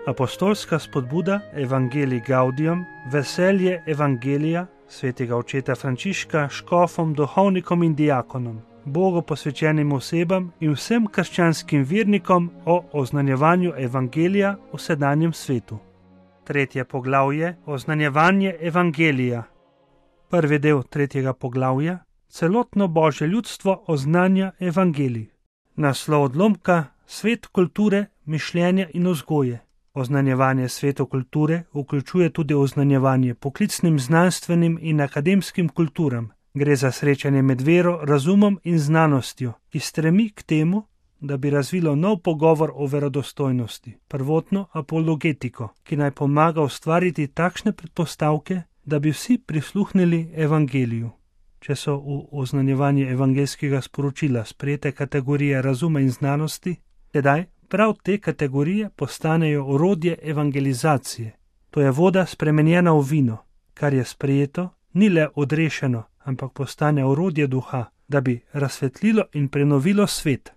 Apostolska spodbuda Evangelii Gaudium, veselje Evangelija svetega očeta Frančiška škofom, duhovnikom in diakonom, Bogu posvečenim osebam in vsem krščanskim vernikom o oznanjevanju Evangelija v sedanjem svetu. 3. poglavje Oznanjevanje Evangelija. Prvi del 3. poglavja Celotno Božje ljudstvo oznanja Evangelij. Naslov odlomka Svet kulture, mišljenja in vzgoje. Oznanjevanje svetu kulture vključuje tudi oznanjevanje poklicnim, znanstvenim in akademskim kulturam. Gre za srečanje med vero, razumom in znanostjo, ki stremi k temu, da bi razvilo nov pogovor o verodostojnosti, prvotno apologetiko, ki naj pomaga ustvariti takšne predpostavke, da bi vsi prisluhnili Evangeliju. Če so v oznanjevanje evangeljskega sporočila sprejete kategorije razuma in znanosti, tedaj prav te kategorije postanejo orodje evangelizacije. To je voda spremenjena v vino, kar je sprejeto, ni le odrešeno, ampak postane orodje duha, da bi razsvetlilo in prenovilo svet.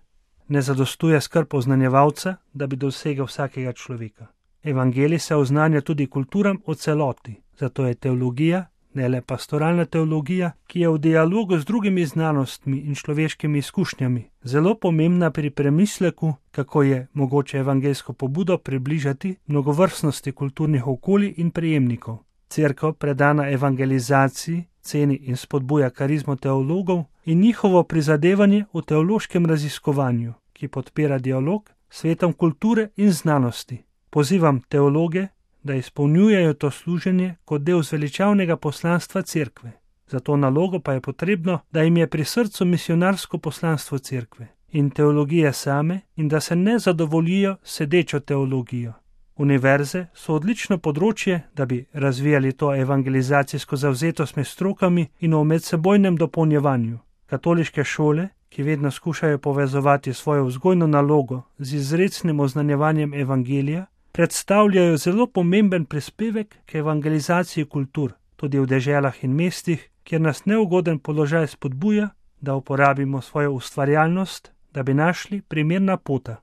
Ne zadostuje skrb oznanjevalca, da bi dosegel vsakega človeka. Evangelij se oznanja tudi kulturam v celoti, zato je teologija, ne le pastoralna teologija, ki je v dialogu z drugimi znanostmi in človeškimi izkušnjami, zelo pomembna pri premisleku, kako je mogoče evangeljsko pobudo približati mnogovrstnosti kulturnih okolij in prejemnikov. Cerkev, predana evangelizaciji, ceni in spodbuja karizmo teologov in njihovo prizadevanje v teološkem raziskovanju, ki podpira dialog s svetom kulture in znanosti. Pozivam teologe, da izpolnjujejo to služenje kot del zveličavnega poslanstva cerkve. Za to nalogo pa je potrebno, da jim je pri srcu misionarsko poslanstvo cerkve in teologije same in da se ne zadovoljijo sedečo teologijo. Univerze so odlično področje, da bi razvijali to evangelizacijsko zavzetost med strokami in o medsebojnem dopolnjevanju. Katoliške šole, ki vedno skušajo povezovati svojo vzgojno nalogo z izrecnim oznanjevanjem evangelija, predstavljajo zelo pomemben prispevek k evangelizaciji kultur, tudi v deželah in mestih, kjer nas neugoden položaj spodbuja, da uporabimo svojo ustvarjalnost, da bi našli primerna pota.